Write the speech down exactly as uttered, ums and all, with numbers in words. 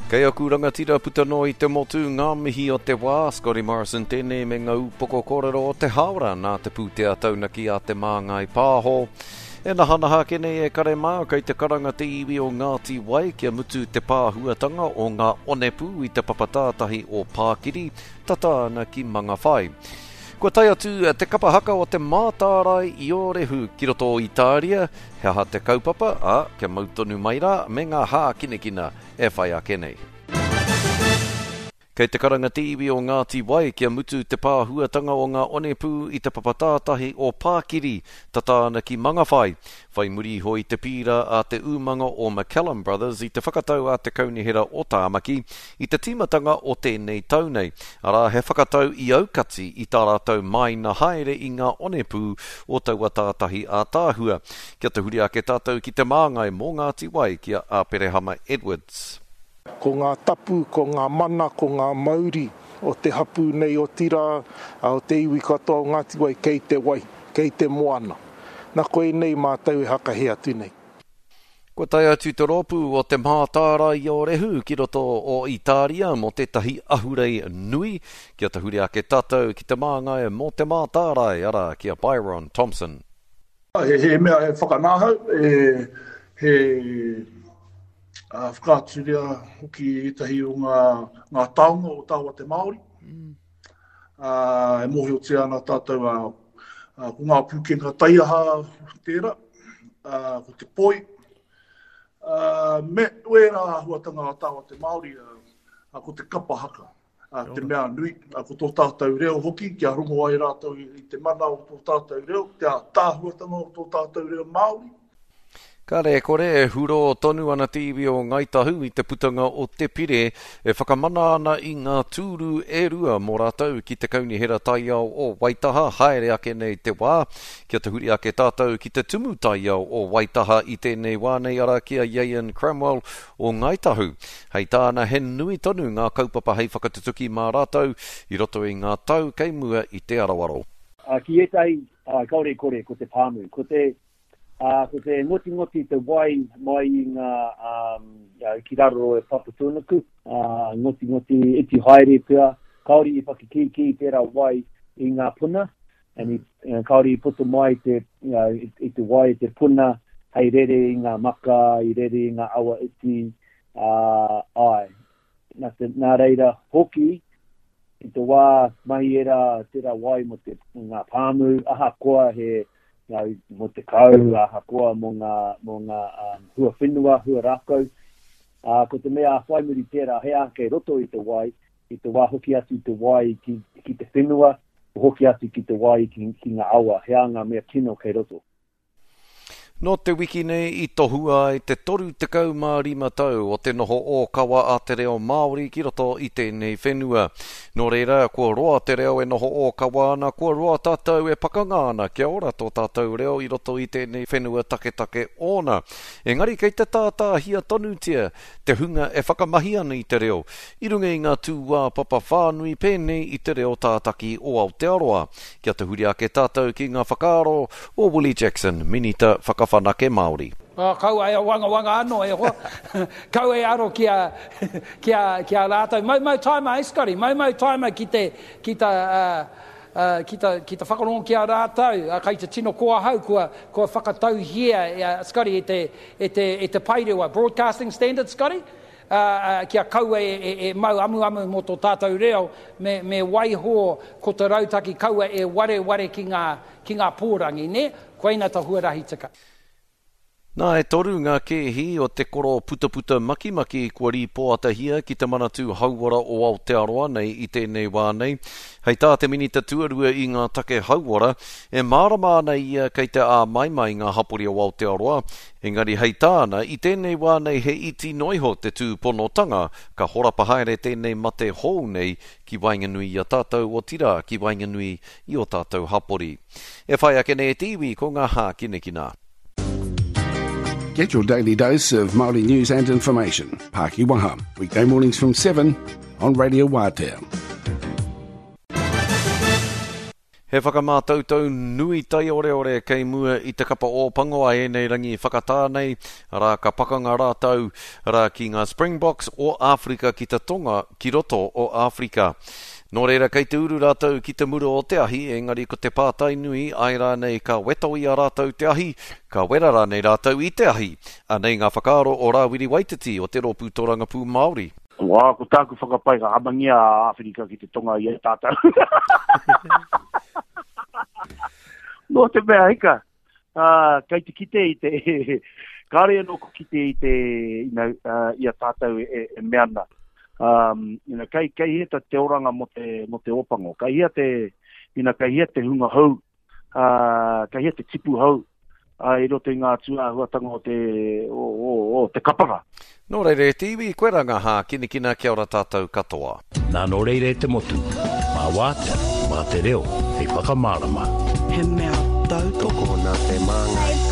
Kei aku rangatira puta noa i te motu ngā mihi o te wā, Scotty Morrison tēnei me ngā upoko kōrero o te hāora nā te pūtea taunaki a Te Māngai Pāho. E nahanaha ake nei e kare mā, kei te karanga te iwi o Ngāti Wai kia mutu te pāhuatanga o ngā onepū i te papa tātahi o Pākiri, tata ana ki Mangawhai. Kua tae atu te kapa haka o Te Mātārae i Ōrehu ki roto o Itāria, he aha te kaupapa, ā, kia mau tonu mai rā me ngā hākinakina e whai ake nei. Kei te karanga te iwi o Ngāti Wai kia mutu te pāhuatanga o ngā onepū i te papa tātahi o Pākiri, tata ana ki Mangawhai. Whai muri iho i te pīra a te umanga o McCallum Brothers i te whakatau a te Kaunihera o Tāmaki i te tīmatanga o tēnei tau nei, arā he whakatau i aukati i tā rātou māina haere i ngā onepū o taua tātahi ātaahua. Kia tahuri ake tātou ki te māngai mō Ngāti Wai ki a Aperehama Edwards. Ko ngā tapu, ko ngā mana, ko ngā mauri o te hapū nei, otirā, o te iwi katoa o Ngāti Wai kei te wai, kei te moana. Na koinei mātou e hakahē atu nei. Kua tae atu te rōpū o Te Mātārae i Ōrehu ki roto o Itāria mō tētahi ahurei nui, kia tahuri ake tātou ki te māngai mō Te Mātārae, arā, ki a Byron Thompson. He, he mea he whakanahau, e, he whakaaturia hoki ētahi o ngā, ngā taonga o tāua te Māori. Mm. Uh, e mōhiotia ana tātou uh, uh, ko ngā pūkenga taiaha tērā, uh, ko te poi, uh, me wērā āhuatanga a tāua te Māori, uh, ko te kapa haka, uh, te mea nui, uh, ko tō tātou reo hoki, kia rongo ai rātou i te mana o tō tātou reo, te ātaahuatanga o tō tātou reo Māori. Kāre e kore, e huro tonu ana te iwi o Ngāi Tahu i te putanga o te pire e whakamana ana i ngā tūru e rua mō rātou ki te Kaunihera Taiao o Waitaha haere ake nei te wā. Kia tahuri ake tātou ki te Tumu Taiao o Waitaha i tēnei wā nei arā ki a Iain Cramwell o Ngāi Tahu. Hei tāna he nui tonu ngā kaupapa hei whakatutuki mā rātou i roto i ngā tau kei mua i te aroaro. Ki ētahi, kāore e kore, ko te pāmu, ko te Ā, ko te ngotingoti te wai mai i ngā, um, ki raro e Papatūānuku, ā, ngotingoti iti haere pea, kāore i whakakīkī tērā wai i ngā puna, and i, kāore i puta mai te, you know, i, i te wai i te puna hei rere i ngā maka, i rere i ngā awa iti, ā, āe. Nā, te, nā reira hoki, i te wā mahi ērā, tērā wai mō te, ngā pāmu, ahakoa he, mō te kau, ahakoa mō ngā, mō ngā um, hua whenua, hua rākau. Uh, ko te mea whai muri tērā, he aha kei roto i te wai, i te wā hoki atu te wai ki, ki te whenua, hoki atu ki te wai ki, ki ngā awa, he aha ngā mea kino kei roto. Nō te wiki nei i tohua ai te toru tekau mā rima tau o te noho ōkawa a te reo Māori ki roto i tēnei whenua. Nō reira, kua roa te reo e noho ōkawa ana, kua roa tātou e pakanga ana kia ora tō tātou reo i roto i tēnei whenua taketake ōna. Engari kei te tātāhia tonutia te hunga e whakamahi ana i te reo, i runga i ngā tūāpapa whānui pēnei i te reo tātaki o Aotearoa. Kia tahuri ake tātou ki ngā whakaaro o Willie Jackson, Minita Whakawhanake Māori. Oh, kaua e wangawanga anō e hoa. Kaua e aro ki a, ki a, ki a rātou. Maumau taima, eh, Scotty? Maumau taima ki te, ki ta, uh, uh, ki ta, ki ta whakarongo ki a rātou. Uh, kai te tino ko ahau kua, kua whakatauhia, uh, Scotty, e te, e te, e te paerewa. Broadcasting Standards, Scotty? Uh, uh, kia kaua e, e, e mau amuamu mō tō tātou reo, me, me waiho ko te rautaki kaua e wareware ki ngā, ki ngā pōrangi, nē? Koina ta huarahi tika. Nā, e toru ngā kēhi o te koro putaputa makimaki kua rīpoatahia ki te Manatū Hauora o Aotearoa nei i tēnei wā nei. Hei tā te Minita Tuarua i ngā take hauora, e mārama ana ia kei te āmaimai ngā hapori o Aotearoa, engari hei tāna, i tēnei wā nei he iti noa iho te tūponotanga ka horapa haere tēnei mate hou nei ki waenganui i a tātou, otirā ki waenganui i ō tātou hapori. E whai ake nei e te iwi ko ngā hākinakina. Get your daily dose of Māori news and information. Pākiwaha, weekday mornings from seven on Radio Wātea. He He whakamātautau nui taioreore kei mua i te kapa Ōpango a ēnei rangi whakatā nei, arā ka pakanga rātou rā ki ngā Springboks o Āwherika ki te Tonga ki roto o Āwherika. Nō reira kei te uru rātou ki te mura o te ahi, engari ko te pātai nui, āe rānei ka weto i a rātou te ahi, ka wera rānei rātou i te ahi. Anei ngā whakaaro o Rāwiri Waititi o te Rōpū Tōrangapū Māori. Wā, ko tāku whakapae ka hamangia a Āwherika ki te Tonga i a tātou. Nō te mea hika, uh, kei te kite i te, kāre anō ko kite i te, you know, uh, i a tātou e, e mea ana. Um, you know, kei, kei hea te oranga mo te, mo te Ōpango, kei hea te, you know, kei hea te hunga hou, uh, kei hea te tipu hou, uh, i roto i ngā tūāhuatanga o te, o, o, o te kapanga. Nō reira e te iwi, koe rā ngā hākinakina, kia ora tātou katoa. Nā nō reira e te motu, mā wātea, mā te reo, hei whakamārama. He mea tautoko Tokona te māngai.